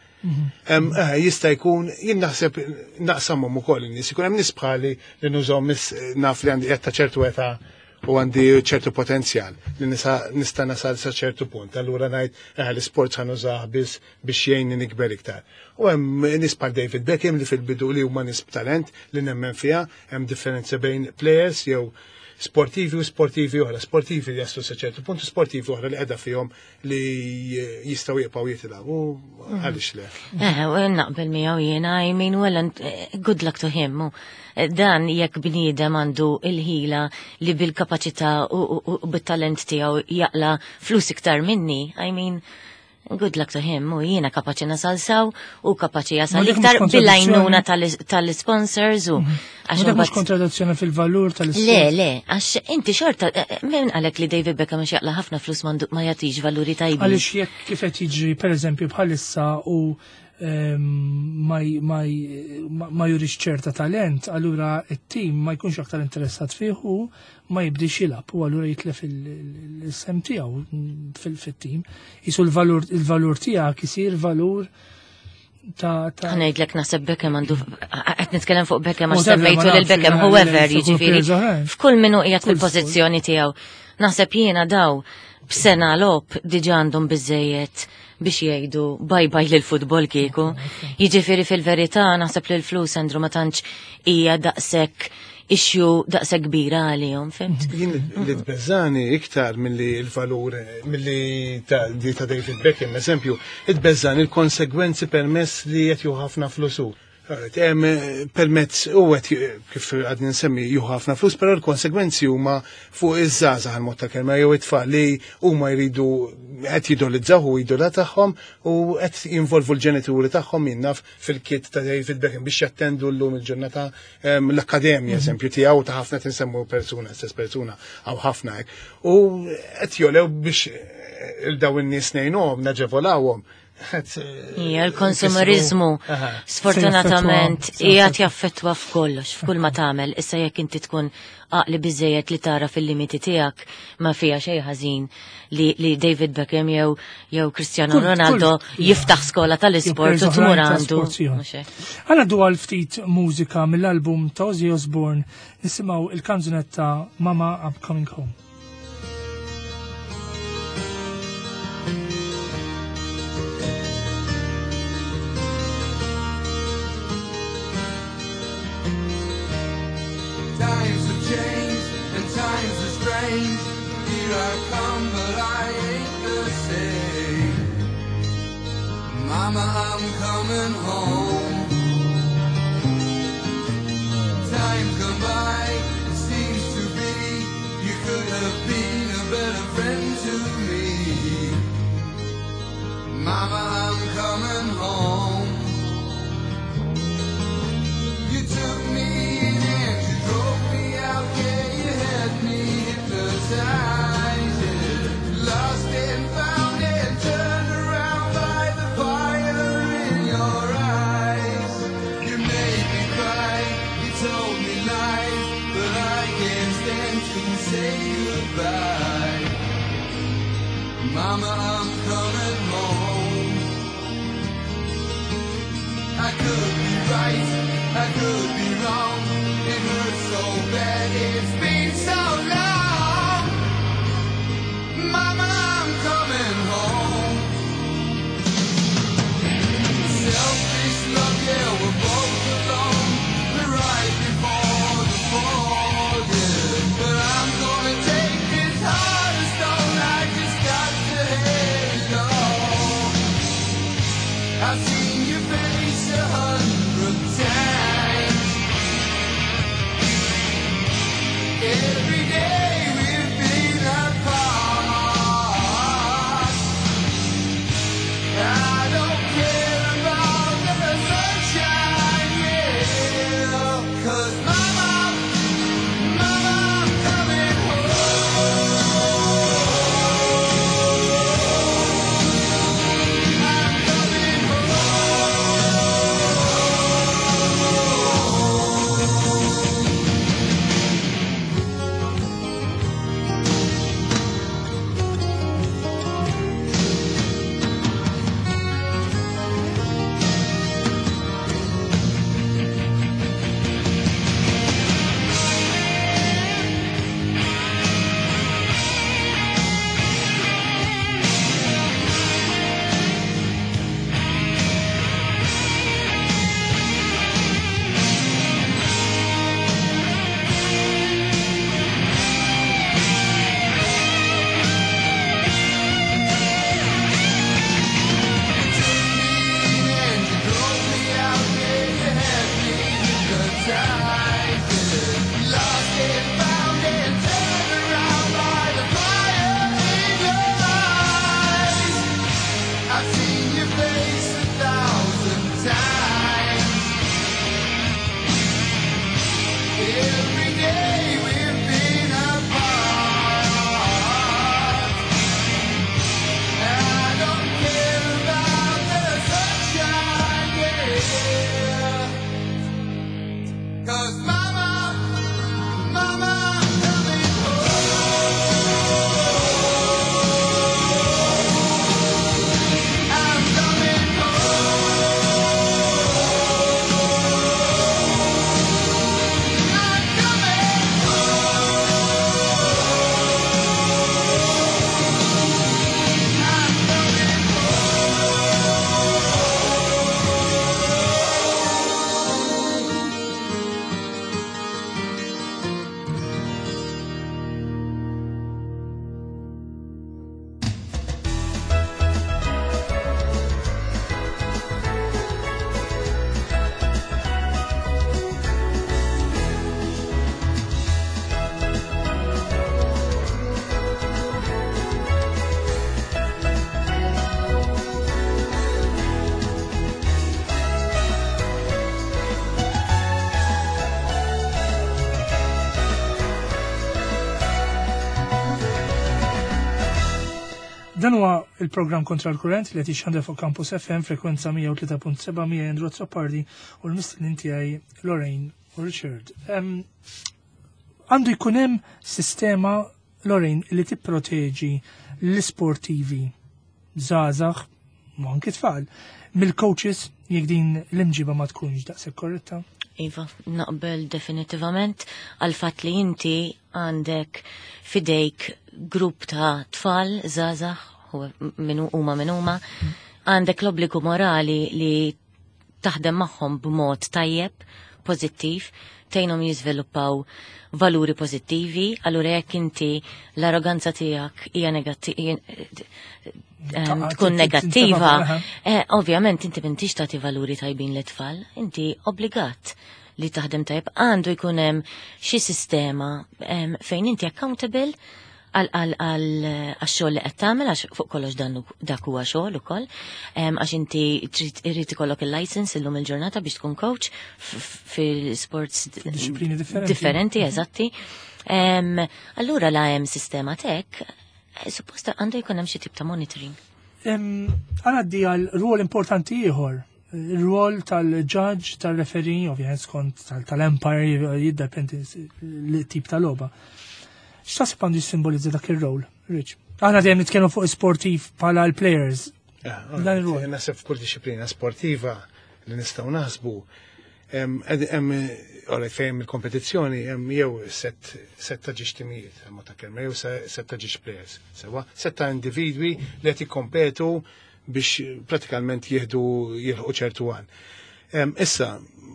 Jista' jkun, jien naħseb naqsamhom ukoll in-nies, ikun hemm nies bħali li nużhom naf li għandi qed ta' ċertu età u għandi ċertu potenzjal li nista' nasal sa ċertu punt. Allura ngħid l-isport ħa nużah biss biex jgħinni nikber iktar. U hemm nies bħal David Beckham li fil-bidu li huma nies b'talent li nemmen fiha, hemm differenza bejn players jew sportivi u sportivi oħra, sportivi li jaslu sa ċertu punt u sportivi oħra li qiegħda fihom li jistgħu jibqgħu jitilgħu. U għaliex le? U naqbel miegħu jiena, I mean, well, and good luck to him. Dan jekk bniedem għandu il-ħila li bil-kapaċità u bit-talent tiegħu jaqla flus iktar minni, I mean, good luck to him, u jiena kapaċi nasal saw u kapaċi jasal Ma dik mhux iktar kontradizzjoni. bil-għajnuna tal-sponsors u għax Ma dak mhux imbagħad kontradizzjoni fil-valur tal-isport. Le, le, għax inti xorta, min qalek li David Beckham għax jaqla ħafna flus ma jagħtix valuri tajbin. Għaliex jekk kif qed jiġri pereżempju bħalissa u ma jurix ċerta talent, allura it-tim ma jkunx aktar interessat fih u ma jibdix jilgħab u allura jitlef il-sem tiegħu fit-tim. Isu il-valur tiegħek isir valur ta' Ħa ngħidlek naħseb Beckham għandu, qed nitkellem fuq Beckham għax Whatever, ma semmejtu lil nafx, Beckham, le, whoever, le, le, jiġifieri, players oħrajn. f'kull min hu qiegħed Kull fil-pożizzjoni tiegħu. Naħseb jiena daw b'sena logħob diġà għandhom biżejjed biex jgħidu bye bye lil futbol kieku. Jiġifieri fil-verità naħseb li l-flus Andrew ma tantx hija daqshekk issue daqshekk kbira għalihom, fimt? Jien li tbeżani iktar milli l-valur milli ta' di ta' David Beckham, eżempju, tbeżani l-konsegwenzi permess li qed jieħu ħafna flus hu. Hemm permezz u qed kif għadni nsemmi jieħu ħafna flus, però l-konsegwenzi huma fuq iż-żgħażagħ għal-mod ta' kelma jew it-tfal li huma jridu qed jidolizzaw u idola tagħhom u qed jinvolvu l-ġenituri tagħhom jinnaf fil-kit ta' David Beckham biex jattendu llum il-ġurnata l-akkademja, eżempju, tiegħu ta' ħafna tinsemmu persuna, stess persuna, għaw ħafna hekk. U qed jolew biex il-daw in-nies ngħinuhom, naġevolawhom. Hija l-konsumerizmu sfortunatament qiegħed jaffettwa f'kollox, f'kull ma tagħmel. Issa jekk inti tkun għaqli biżejjed li tara fil-limiti tiegħek ma fiha xejn ħażin li David Beckham jew Cristiano Ronaldo jiftaħ skola tal-isport Jew u tmur oħrajn ta' għandu. sport, ieħor. Mhux hekk. Għana du għal ftit mużika mill-album ta' Ozzy Osbourne nisimgħu il-kanzunetta Mama I'm Coming Home. Times have changed and times are strange. Here I come, but I ain't the same. Mama, I'm coming home. say goodbye. Mama, I'm coming home. I could be right, I could be wrong. It hurts so bad, it's been so long. Mama, I'm coming home. Selfish love, yeah, we're both alone. We're right before the fall, yeah. But I'm gonna take this heart of stone. I just got to have it all. I've seen your face 100 times. Every day we've been apart. I don't care about the sunshine, yeah. 'Cause mama, mama, I'm coming home. I'm coming And you drove me out there, you had me hypnotized. Lost and found and turned around by the fire in your eyes. I've seen your face 1,000 times. Every day we've been apart. I don't care about the sunshine, yeah. 'Cause mama, mama, I'm coming home. I'm coming home. I'm coming home. I'm coming Dan huwa il-programm Kontra l-Kurrent li qed jixxandar fuq Campus FM frekwenza 103.7 miegħi Andrew Azzopardi u l-mistednin tiegħi Lorraine u Richard. Għandu jkun hemm sistema, Lorraine, li tipproteġi l-isportivi żgħażagħ u anki tfal mill-coaches jekk din l-imġiba ma tkunx daqshekk korretta? Iva, naqbel definitivament għal fatt li inti għandek fidejk grupp ta' tfal żgħażagħ, minu huma min huma, għandek l-obbligu morali li taħdem magħhom b'mod tajjeb, pożittiv, tgħinhom jiżviluppaw valuri pożittivi, allura jekk inti l-arroganza tiegħek hija tkun negattiva, ovvjament inti m'intix tagħti valuri tajbin lit-tfal, inti obbligat li taħdem tajjeb. Għandu jkun hemm xi sistema fejn inti accountable għal xogħol li qed tagħmel, għax fuq kollox dan dak huwa xogħol ukoll, għax inti trid irid ikollok il-license illum il-ġurnata biex tkun coach fil-sports Disciplini differenti. Differenti, eżatti. Allura la hemm sistema tek, supposta għandu jkun hemm xi tip ta' monitoring. Għanaddi għal rwol importanti ieħor, il-rwol tal-judge, tal-referee, ovvjament skont tal-umpire, jiddependi l-tip tal-logħba. X'taħseb għandu jissimbolizza dak ir-rol, Rich? Aħna dejjem nitkellmu fuq sportiv bħala l-players. Dan ir-rol. Naħseb f'kull disciplina sportiva li nistgħu naħsbu hemm alright, fejn il-kompetizzjoni hemm jew set set ta' ġiex timijiet, hemm ta' kelma, jew set ta' ġiex players, sewa, set ta' individwi li qed jikkompetu biex pratikalment jieħdu jilħqu ċertu għan. Issa,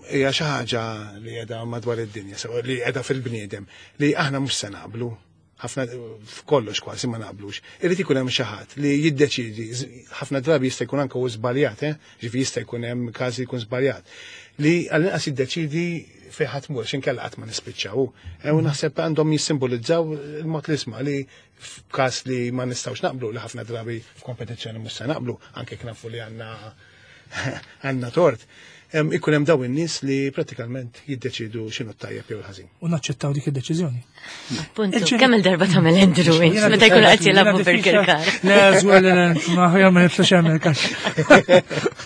hija xi ħaġa li qiegħda madwar id-dinja, sewa li qiegħda fil-bniedem, li aħna mhux se naqblu, ħafna f'kollox kważi ma naqblux. Irid ikun hemm xi ħadd li jiddeċidi, ħafna drabi jista' jkun anke hu żbaljat, eh? Ġifi jista' jkun hemm każi jkun żbaljat. Li għall-inqas jiddeċidi fejn ħadd mur, x'inkella qatt ma nispiċċaw. U naħseb għandhom jissimbolizzaw il-mod li isma' li f'każ li ma nistgħux naqblu, li ħafna drabi f'kompetizzjoni mhux se naqblu, anke jekk nafu li għandna tort. Ikun hemm dawn in-nies li prattikament jiddeċidu x'inhu t-tajjeb jew il-ħażin. U naċċettaw dik id-deċiżjoni. Appuntu, kemm il-darba tagħmel Andrew int meta jkun qed jilagħbu fil-kirkar. Le, żgur li le, ma ħjar ma niftax hemm il-kax.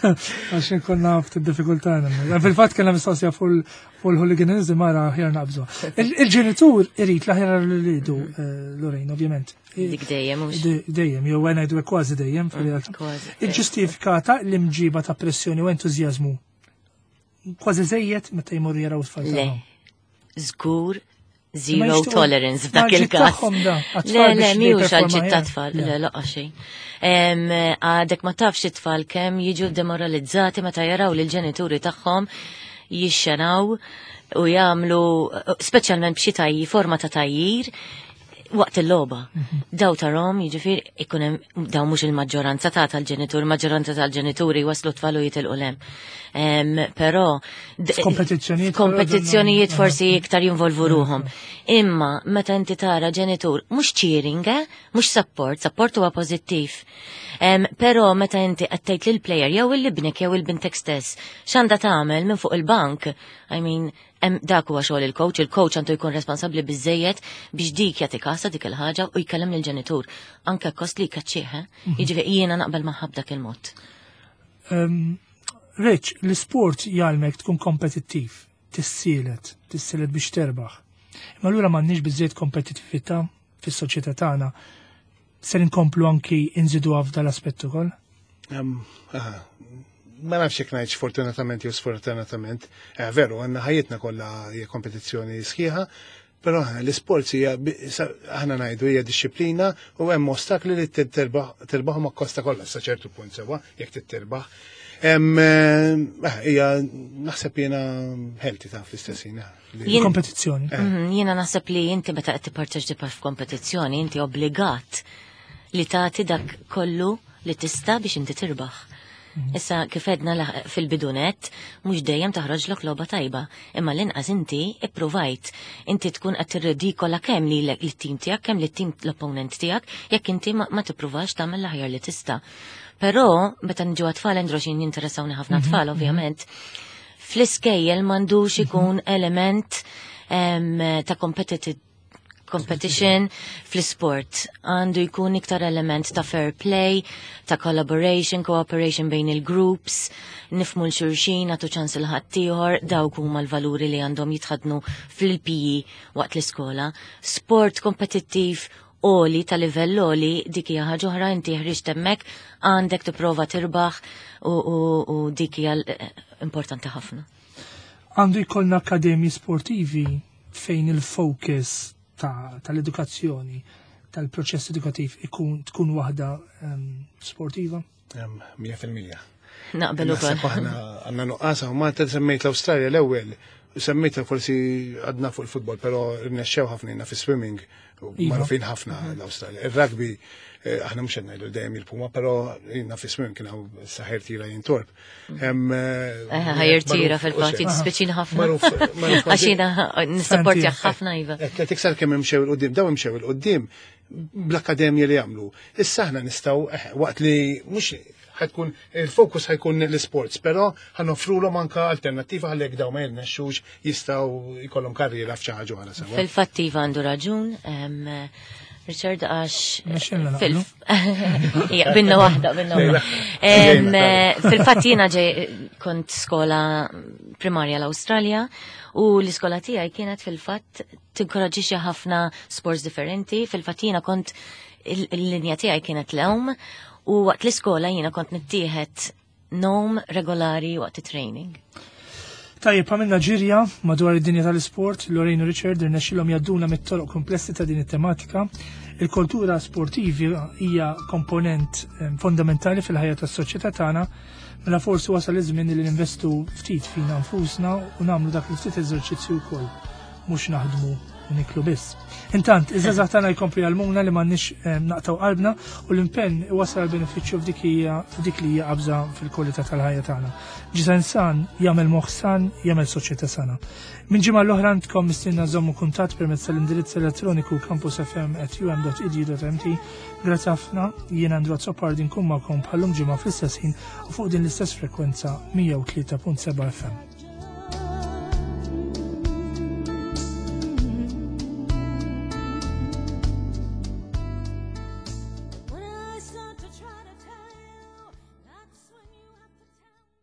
Għax inkun naf id-diffikultà nagħmel. Fil-fatt kellna mistoqsija fuq il-hooliganism mara ħjar naqbżu. Il-ġenitur irid l-aħjar li rridu, Lorraine, ovvjament. Dik dejjem, mhux? Dejjem, jew għena jdu kważi dejjem fil-realtà. Kważi. Iġġustifikata l-imġiba ta' pressjoni u entużjażmu kważi żejjed meta jmorru jaraw tfal Le. tagħhom. Żgur Ma zero jixtiequ tolerance f'dak ma ġid il-każ. tagħhom da, għat-tfal Le, le, biex mhux jipperforma għal ġid ta' aħjar. tfal, Le. le, laqgħa xejn. Għadek ma tafx it-tfal kemm jiġu demoralizzati meta jaraw lil ġenituri tagħhom jixxenaw u jagħmlu speċjalment b'xi tajji, forma ta' tajjir waqt il-logħba. Daw tarom, jiġifieri ikun hemm daw mhux il-maġġoranza ta' tal-ġenitur, il-maġġoranza tal-ġenituri waslu tfal u jitilqu lem. Però F'kompetizzjonijiet, f'kompetizzjonijiet però forsi iktar jinvolvu ruhom. Imma meta inti tara ġenitur mhux cheering, mhux support, support huwa pożittiv. Però meta inti qed tgħid lill-player jew il-ibnek jew il-bintek stess x'għandha tagħmel minn fuq il-bank, I mean, dak huwa xogħol il-coach, il-coach għandu jkun responsabbli biżejjed biex dik jagħti kasa dik il-ħaġa u jkellem lill-ġenitur, anke kost li jkaċċih, eh? Jiġifieri jiena naqbel magħha b'dak il-mod. Rich, l-isport jgħalmek tkun kompetittiv, tissielet biex terbaħ. Imma allura m'għandniex biżejjed kompetittività fis-soċjetà tagħna. Ser inkomplu anki inżidu f'dal aspett ukoll? Ma nafx jekk ngħidx fortunatament jew sfortunatament. Veru, għandna ħajjitna kollha hija kompetizzjoni sħiħa, però l-isports hija aħna ngħidu hija disċiplina u hemm ostakli li terbaħhom akkosta kollha sa ċertu punt sewwa jekk titterbaħ. Hija naħseb jiena healthy ta' fl-istess ħin, li Kompetizzjoni. Jiena naħseb li inti meta qed tipparteċipa f'kompetizzjoni inti obbligat li tagħti dak kollu li tista' biex inti tirbaħ. Issa kif edna fil-bidunet, mhux dejjem taħroġlok logħba tajba, imma l-inqas inti ippruvajt. Inti tkun qed tirridikola kemm lilek lit-tim tiegħek, kemm lit-tim l-opponent tiegħek, jekk inti ma tippruvax tagħmel l-aħjar li tista'. Però meta niġu għat-tfal, Andrew, x'in jinteressawni ħafna tfal, ovvjament, fl-iskejjel m'għandux ikun element ta' competition fl-sport. Għandu jkun iktar element ta' fair play, ta' collaboration, cooperation bejn il-groups, nifmu l-xurxin, għatu ċans il-ħaddieħor, dawk huma l-valuri li għandhom jitħadnu fil-PE waqt l-iskola. Sport kompetittiv oli ta' livell oli, dik hija ħaġa oħra, inti ħriġt hemmhekk, għandek tipprova tirbaħ u dik hija importanti ħafna. Għandu jkollna akademji sportivi fejn il-focus tal-edukazzjoni, tal-proċess edukativ tkun waħda sportiva? Mija fil-mija. Naqbel ukoll. Naħseb aħna għandna nuqqas, u Malta semmejt l-Awstralja l-ewwel, semmejtha forsi għadna fuq il-futbol, però rnexxew ħafna jiena fi-swimming, u magħrufin ħafna l-Awstralja. Ir-rugby, aħna mhux qed ngħidu dejjem il-Puma, però jiena fi-swimming kien hawn saħer tira jintorb. Ħajr tira fil-fatt, jiddispjaċini ħafna. Magħruf Għax jiena nissapportja Santi. ħafna, iva. Qed iktar kemm imxew il-qudiem, daw imxew il-qudiem bl-akkademja li jagħmlu. Issa aħna nistgħu waqt li mhux ħajkun il-fokus ħajkun l-sports, però ħanoffrulhom anka alternattiva ħalli jekk daw ma jirnexxux jistgħu jkollhom karriera f'xi ħaġa oħra sewwa. Fil-fatt iva għandu raġun, Richard, għax fil Ija, binna waħda, binna waħda. Fil-fatt jiena ġej kont skola primarja l-Awstralja u l-iskola tiegħi kienet fil-fatt tinkoraġġixxi ħafna sports differenti. Fil-fatt jiena kont il-linja tiegħi kienet l-għawm u waqt l-iskola jiena kont nittieħed nom regolari waqt it-training. Tajjeb, għamilna ġirja madwar id-dinja tal-isport, Lorraine u Richard irnexxilhom jgħadduna mit-toroq komplessi ta' din it-tematika. Il-kultura sportivi hija komponent fondamentali fil-ħajja tas-soċjetà tagħna, mela forsi wasal iż-żmien li ninvestu ftit fina nfusna u nagħmlu dak il-ftit eżerċizzju wkoll, mhux naħdmu u niklu biss. Intant, iż-żgħażagħ tagħna jkomplu jgħallmuna li m'għandniex naqtgħu qalbna u l-impenn iwassal għal benefiċċju f'dik hija f'dik li hija qabża fil-kwalità tal-ħajja tagħna. Ġisem san jagħmel moħħ san, jagħmel soċjetà sana. Minn ġimgħa l-oħra għandkom mistiedna żommu kuntatt permezz tal-indirizz elettroniku campusfm@um.edu.mt. Grazzi ħafna, jien Andrew Azzopardi nkun magħkom bħallum ġimgħa fl-istess ħin u fuq din l-istess frekwenza 103.7 FM.